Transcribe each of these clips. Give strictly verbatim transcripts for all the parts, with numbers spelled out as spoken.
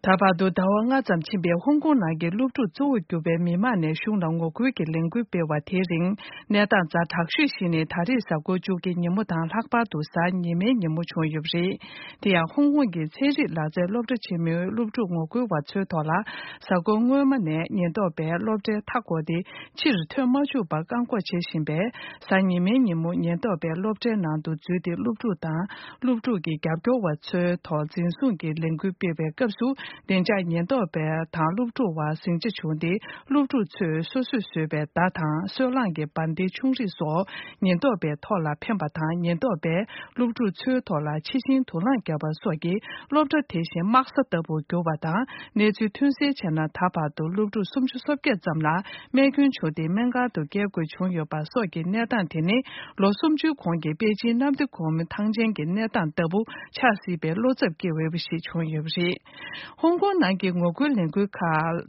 ད་བར་དུ་ཟླ་བ་ལྔ་ཙམ་ཕྱིན་པའི་ཧོང་ཀོང་ནང་གི་སློབ་ཕྲུག་གཙོ་བོར་གྱུར་པའི་མི་མང་ནས་གཞུང་ལ་ངོ་རྒོལ་གྱི་ལས་འགུལ་སྤེལ་བ་དེའི་རིང་། གནས་སྟངས་ཛ་དྲག་ཤོས་ཤིག་ནི་ད་རེས་གཟའ་འཁོར་བཅུ་གི་ཉིན་མོ་དང་ལྷག་པར་དུ་གཟའ་ཉི་མའི་ཉིན་མོ་བྱུང་ཡོད་པ་རེད། དེ་ཡང་ཧོང་ཀོང་གི་ཚན་རིག་ལག་རྩལ་སློབ་གྲྭ་ཆེན་མོའི་སློབ་ཕྲུག་ངོ་རྒོལ་བ་ཚོའི་ཐོག་ལ། གཟའ་འཁོར་སྔོན་མ་ནས་ཉེན་རྟོག་པས་སློབ་གྲྭའི་མཐའ་བསྐོར་ཏེ། ཕྱིར་ཐོན་མ་བཅུག་པར་བཀག་འགོག་བྱེད་བཞིན་པས། གཟའ་ཉི་མའི་ཉིན་མོ་ཉེན་རྟོག་པས་སློབ་གྲྭའི་ནང་དུ་འཛུལ་ཏེ། སློབ་ཕྲུག་དང་སློབ་ཕྲུག་གི་རྒྱབ་སྐྱོར་བ་ཚོའི་ཐོག་འཛིན་བཟུང་གི་ལས་འགུལ་སྤེལ་བའི་སྐབས་སུ། བདེ་འཇགས་ཉེན་རྟོག་པ་དང་སློབ་ཕྲུག་བར་ཟིང་ཆ་བྱུང་སྟེ། སློབ་ཕྲུག་ཚོས་སོ་སོས་བཟོས་པའི་མདའ་དང་སོལ་རླངས་ཀྱི་འབར་མདེལ་ཆུང་རིགས་སོགས་ཉེན་རྟོག་པའི་ཐོག་ལ་འཕེན་པ་དང་། ཉེན་རྟོག་པས་སློབ་ཕྲུག་ཚོའི་ཐོག་ལ་ཕྱི་ཤིང་དུག་རླངས་བརྒྱབ་པ་སོགས་ཀྱིས་སློབ་གྲྭ་དེ་བཞིན་དམག་ས་ལྟ་བུར་གྱུར་བ་དང་། གནས་ཚུལ་ཐོན་གསལ་བྱས་ན། ད་བར་དུ་སློབ་ཕྲུག་སུམ་ཅུ་སོ་བརྒྱད་ཙམ་ལ་རྨས་སྐྱོན་བྱུང་སྟེ། སྨན་ཁང་དུ་བསྐྱལ་དགོས་བྱུང་ཡོད་པ་སོགས་ཀྱི་གནས་སྟངས་དེ་ནི། ལོ་སུམ་ཅུའི་གོང་གི་པེ་ཅིན་གནམ་བདེ་སྒོ་མོའི་ཐང་ཆེན་གྱི་གནས་སྟངས་ལྟ་བུ་ཆགས་སྲིད་པའི་བློ་འཚབ་སྐྱེ་འོས་པ་ཞིག་བྱུང་ཡོད་པ་རེད། ཧོང་ཀོང་ནང་གི་ངོ་རྒོལ་ལས་འགུལ་ཁག་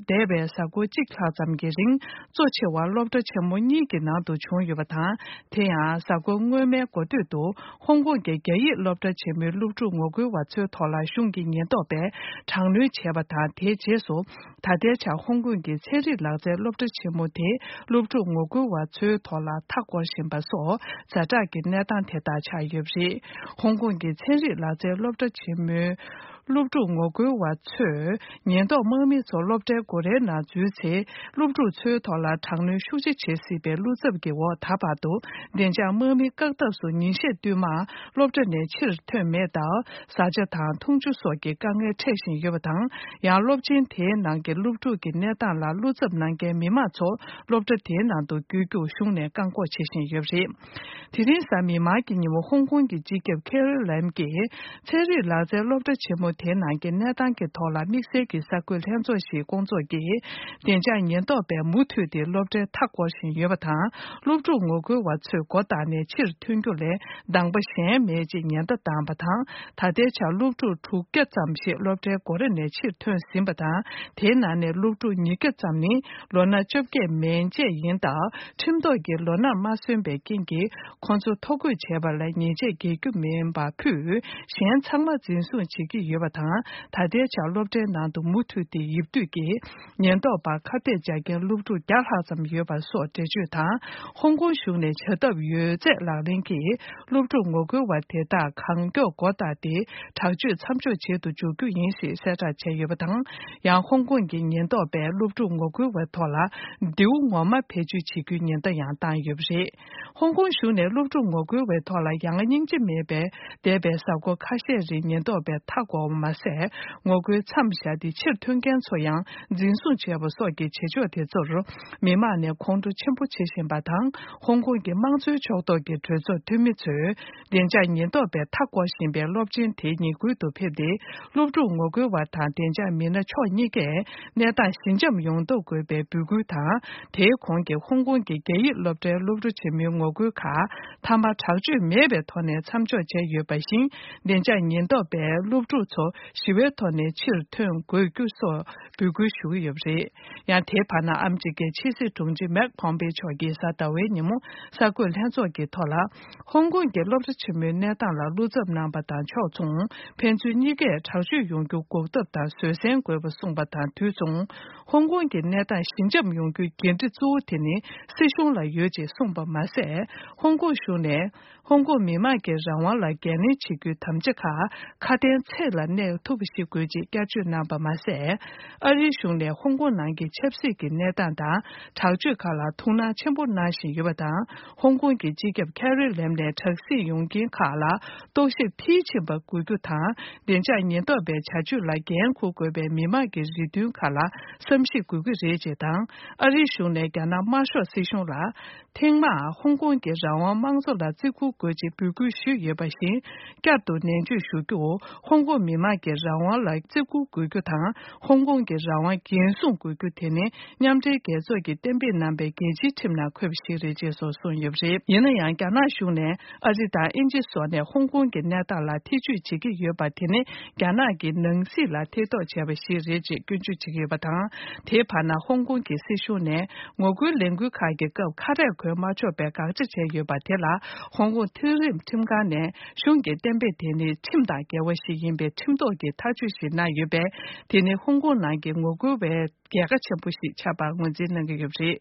འདས་པའི་གཟའ་འཁོར་གཅིག་ལྷག་ཙམ་གྱི་རིང་། གཙོ་ཆེ་བ་སློབ་གྲྭ་ཆེན་མོ་གཉིས་ཀྱི་ནང་དུ་བྱུང་ཡོད་པ་དང་། དེ་ཡང་། གཟའ་འཁོར་སྔོན་མའི་འགོ་སྟོད་དུ། ཧོང་ཀོང་གི་རྒྱ་ཡིག་སློབ་གྲྭ་ཆེན་མོའི་སློབ་ཕྲུག་ངོ་རྒོལ་བ་ཚོའི་ཐོག་ལ་གཞུང་གི་ཉེན་རྟོག་པས་དྲག་གནོན་བྱས་པ་དང་། དེའི་རྗེས་སུ། ད་ལྟའི་ཆར་ཧོང་ཀོང་གི་ཚན་རིག་ལག་རྩལ་སློབ་གྲྭ་ཆེན་མོ་དེའི་སློབ་ཕྲུག་ངོ་རྒོལ་བ་ཚོའི་ཐོག་ལ་མཐའ་བསྐོར་བཞིན་པ་སོགས་ཛ་དྲག་གི་གནས་སྟངས་དེ་དག་ཆགས་ཡོད་པ་རེད། ཧོང་ཀོང་གི་ཚན་རིག་ལག་རྩལ་སློབ་གྲྭ་ཆེན་མོའི་སློབ་ཕྲུག་ངོ་རྒོལ་བ་ཚོས་ཉེན་རྟོག་དམག་མི་ཚོ་སློབ་གྲྭའི་སྒོ་རའི་ནང་འཛུལ་ཚེ། སློབ་ཕྲུག་ཚོའི་ཐོག་ལ་དྲག་གནོན་ཤུགས་ཆེ་བྱེད་སྲིད་པའི་བློ་འཚབ་ཀྱི་འོག་ད་བར་དུ། བདེ་འཇགས་དམག་མིའི་བཀག་ཐབས་སུ་ཉིན་ཤས་བསྟུད་མར་སློབ་གྲྭ་ནས་ཕྱིར་ཐོན་མེད་སྟབས། བཟའ་བཅའ་དང་འཐུང་ཆུ་སོགས་ཀྱི་དཀའ་ངལ་འཕྲད་བཞིན་ཡོད་པ་དང་། ཡང་། སློབ་ཆེན་དེའི་ནང་གི་སློབ་ཕྲུག་གི་གནས་སྟངས་ལ་བློ་འཚབ་གནང་མཁན་མི་མང་ཚོ་སློབ་གྲྭ་དེའི་ནང་དུ་བསྐྱོད་རྒྱུར་གཞུང་ནས་བཀག་འགོག་བྱེད་བཞིན་ཡོད་པ་རེད། དེ་རིང་གཟའ་མིག་དམར་གྱི་ཉིན་མོ། ཧོང་ཀོང་གི་སྤྱི་ཁྱབ་ཁེ་རི་ལེམ་གྱིས། ཚན་རིག་ལག་རྩལ་སློབ་གྲྭ་ཆེན་མོ་དེའི་ནང་གི་གནས་སྟངས་ཀྱི་ཐོག་ལ་དམིགས་བསལ་གྱི་གསར་འགོད་ལྷན་ཚོགས་ཤིག་བསྐོང་ཚོགས་ཀྱིས། བདེ་འཇགས་ཉེན་རྟོག་པས་མུ་མཐུད་དེ་སློབ་གྲྭའི་མཐའ་བསྐོར་བཞིན་ཡོད་པ་དང་། སློབ་ཕྲུག་ངོ་རྒོལ་བ་ཚོས་སྒོ་བཏགས་ནས་ཕྱིར་ཐོན་རྒྱུ་ལས། གདམ་ག་གཞན་མེད་ཅེས་ཉེན་བརྡ་བཏང་བ་དང་། ད་ལྟའི་ཆར་སློབ་ཕྲུག་དྲུག་བརྒྱ་ཙམ་ཞིག་སློབ་གྲྭའི་སྒོ་ར་ནས་ཕྱིར་ཐོན་ཟིན་པ་དང་། དེའི་ནང་ནས་སློབ་ཕྲུག་ཉིས་བརྒྱ་ཙམ་ནི་ལོ་ན་བཅོ་བརྒྱད་མན་ཆད་ཡིན་སྟབས། ཁྲིམས་ཐོག་གི་ལོ་ན་མ་སོན་པའི་རྐྱེན་གྱིས། ཁོང་ཚོ་ཐོ་འགོད་བྱས་པ་ལ་ཉེས་ཆད་འགེལ་རྒྱུ་མིན་པ་ཕུད། གཞན་ཚང་མ་འཛིན་བཟུང་བྱེད་ཀྱི་ཡོད་པ་དང་། ད་ལྟའི་ཆར་སློབ་གྲྭའི་ནང་དུ་མུ་མཐུད་དེ་ཡིབ་སྡོད་ཀྱིས། ཉེན་རྟོག་པར་ཁ་གཏད་བཅག་མཁན་སློབ་ཕྲུག་བརྒྱ་ལྷག་ཙམ་ཡོད་པ་སོགས་འགྲེལ་བརྗོད་དང་། ཧོང་ཀོང་གཞུང་ནས་བྱ་ཐབས་ཡོད་ཚད་ལག་ལེན་གྱིས། སློབ་ཕྲུག་ངོ་རྒོལ་བ་དེ་དག་གང་མགྱོགས་སྒོ་བཏགས་ཏེ། དྲག་སྤྱོད་མཚམས་འཇོག་བྱེད་དུ་འཇུག་རྒྱུ་ཡིན་ཞེས་གསལ་བསྒྲགས་བྱས་ཡོད་པ་དང་། ཡང་། ཧོང་ཀོང་གི་ཉེན་རྟོག་པས་སློབ་ཕྲུག་ངོ་རྒོལ་བའི་ཐོག་ལ། མདེའུ་ངོ་མ་བེད་སྤྱོད་བྱེད་རྒྱུའི་ཉེན་བརྡ་ཡང་བཏང་ཡོད་པ་རེད། ཧོང་ཀོང་གཞུང་ནས་སློབ་ཕྲུག་ངོ་རྒོལ་བའི་ཐོག་ལ་ཡ་ང་སྙིང་རྗེ་མེད་པའི། འདས་པའི་གཟའ་འཁོར་ཁ་ཤས་རིང་ཉེན་རྟོག་པས་མཐའ་བསྐོར་བ་མ་ཟད། ངོ་རྒོལ་མཚམས་བཞག་སྟེ་ཕྱིར་ཐོན་མཁན་ཚོ་ཡང་འཛིན་བཟུང་བྱས་པ་སོགས་ཀྱི་བྱེད་ཕྱོགས་དེ་ཚོར། མི་མང་ནས་ཁོང་ཁྲོ་ཆེན་པོ་བྱེད་བཞིན་པ་དང་། ཧོང་ཀོང་གི་དམངས་གཙོའི་ཕྱོགས་གཏོགས་ཀྱི་གྲོས་ཚོགས་འཐུས་མི་ཚོས། བདེ་འཇགས་ཉེན་རྟོག་པས་མཐའ་བསྐོར་བཞིན་པའི་སློབ་ཆེན་དེའི་ཉེ་ཁུལ་དུ་ཕེབས་ཏེ། སློབ་ཕྲུག་ངོ་རྒོལ་བ་དང་བདེ་འཇགས་མི་སྣ་ཕྱོགས་གཉིས་ཀས། གནས་སྟངས་ཞི་འཇམ་ཡོང་ཐབས་དགོས་པའི་འབོད་སྐུལ་དང་། དེའི་གོང་གི་ཧོང་ཀོང་གི་རྒྱ་ཡིག་སློབ་གྲྭའི་སློབ་ཕྲུག་ཆེན་མོའི་ངོ་རྒོལ་ཁག་མཐའ་མ་དྲག་སྤྱོད་མེད་པའི་ཐོག་ནས་མཚམས་འཇོག་བྱས་ཡོད་པ་བཞིན། བདེ་འཇགས་ཉེན་རྟོག་པས་སློབ་ཕྲུག་ཚོ་ཞི་བའི་ཐོག་ནས་ཕྱིར་ཐོན་དགོས་རྒྱུ་སོགས་འབོད་སྐུལ་ཞུ་གི་ཡོད་པ་རེད། ཡང་། དེའི་བར་ན། ཨ་མི་རི་ཀའི་ཕྱི་སྲིད་དྲུང་ཆེ་མེག་པོམ་པེ་མཆོག་གིས་གཟའ་ཟླ་བའི་ཉིན་མོ་གསར་འགོད་ལྷན་ཚོགས་ཀྱི་ཐོག་ལ། ཧོང་ཀོང་གི་སློབ་གྲྭ་ཆེན་མོའི་གནས་སྟངས་ལ་བློ་འཚབ་གནང་བ་དང་ཕྱོགས་མཚུངས། ཕན་ཚུན་གཉིས་ཀས་དྲག་སྤྱོད་ཡོང་རྒྱུ་འགོག་ཐབས་དང་བཟོད་བསྲན་དགོས་པ་གསུངས་པ་དང་དུས་མཚུངས། ཧོང་ཀོང་གི་གནས་སྟངས་ཞི་འཇམ་ཡོང་རྒྱུའི་འགན་འཁྲི་གཙོ་བོ་དེ་ནི་སྲིད་གཞུང་ལ་ཡོད་ཅེས་གསུངས་པ་མ་ཟད། ཧོང་ཀོང་གཞུང་ནས་ཧོང་ཀོང་མི་དམངས་ཀྱི་རང་དབང་ལ་འགན་ལེན་བྱེད་རྒྱུའི་དམ་བཅའ་ཁག་ཁ་དན་ཚིག་ལ་གནས་ཐུབ་པ་ཞིག་དགོས་ཅེས་བསྐྱར་བརྗོད་གནང་བ་མ་ཟད། ཨ་རིའི་གཞུང་ནས་ཧོང་ཀོང་ནང་གི་ཆབ་སྲིད་ཀྱི་གནས་སྟངས་དང་དྲག་སྤྱོད་ཁག་ལ་ཐུགས་སྣང་ཆེན་པོ་གནང་བཞིན་ཡོད་པ་དང་། ཧོང་ཀོང་གི་སྤྱི་ཁྱབ་ཁེ་རི་ལེམ་ནས་དྲག་ཟིང་ཡོང་མཁན་ཁག་ལ་རྟོག་ཞིབ་མཐིལ་ཕྱིན་པ་དགོས་རྒྱུ་དང་། བདེ་འཇགས་ཉེན་རྟོག་པའི་བྱ་སྤྱོད་ལ་འགན་འཁུར་དགོས་པའི་མི་དམངས་ཀྱི་རེ་འདུན་ཁག་ལ་བསམ་གཞིག་དགོས་ཀྱི་རེད་ཅེས་དང་། ཨ་རིའི་གཞུང་ནས་རྒྱ་ནག་དམར་ཤོག་སྲིད་གཞུང་ལ། ཐེངས་མང་ཧོང་ཀོང་གི་རང་དབང་དམངས་གཙོ་ལ་བརྩི་བཀུར་དགོས་ཅེས་འབོད་སྐུལ་ཞུས་ཡོད་པ་བཞིན། བསྐྱར་དུ་ནན་བརྗོད་ཞུ་རྒྱུ། ཧོང་ཀོང་མི་དམངས་ཀྱི་རང་དབང་ལ་བརྩི་བཀུར་དགོས་རྒྱུ་དང་། ཧོང་ཀོང་གི་རང་དབང་འགན་སྲུང་དགོས་རྒྱུ་དེ་ནི་མཉམ་འབྲེལ་རྒྱལ་ཚོགས་ཀྱིས་གཏན་འབེབས་གནང་པའི་རྒྱལ་སྤྱིའི་ཁྲིམས་ནང་འཁོད་པ་ཞིག་རེད་ཅེས་སོགས་གསུངས་ཡོད་པ་རེད། ཡིན་ན་ཡང་། རྒྱ་ནག་གཞུང་ནས་ཨ་རི་དང་དབྱིན་ཇི་སོགས་ནས་ཧོང་ཀོང་གི་གནས་སྟངས་ལ་ཐེ་ཇུས་བྱེད་ཀྱི་ཡོད་པ་དེ་ནི་རྒྱ་ནག་གི་ནང་སྲིད་ལ་ཐེ་གཏོགས་བྱས་པ་ཞིག་རེད་ཅེས་སྐྱོན་བརྗོད་བྱེད་ཀྱི་ཡོད་པ་དང་། དེའི་བར་ན། ཧོང་ཀོང་གི་སྲིད་གཞུང་ནས། ངོ་རྒོལ་ལས་འགུལ་ཁག་གི་སྐབས་ཁ་རས་གོན་མ་ཆོག་པའི་དགག་བྱ་བྱས་ཡོད་པ་དེ་ལ། ཧོང་ཀོང་མཐོ་རིམ་ཁྲིམས་ཁང་ནས་གཞུང་གི་གཏན་འབེབས་དེ་ནི་ཁྲིམས་དང་འགལ་བ་ཞིག་ཡིན་པའི་ཁྲིམས། ཤུགས་རྡོག་གིས་ཐག་གཅོད་ཞིག་གནང་ཡོད་པས། དེ་ནི་ཧོང་ཀོང་ནང་གི་ངོ་རྒོལ་བའི་རྒྱལ་ཁ་ཆེན་པོ་ཞིག་ཆགས་པར་ངོས་འཛིན་གནང་གི་ཡོད་པ་རེད།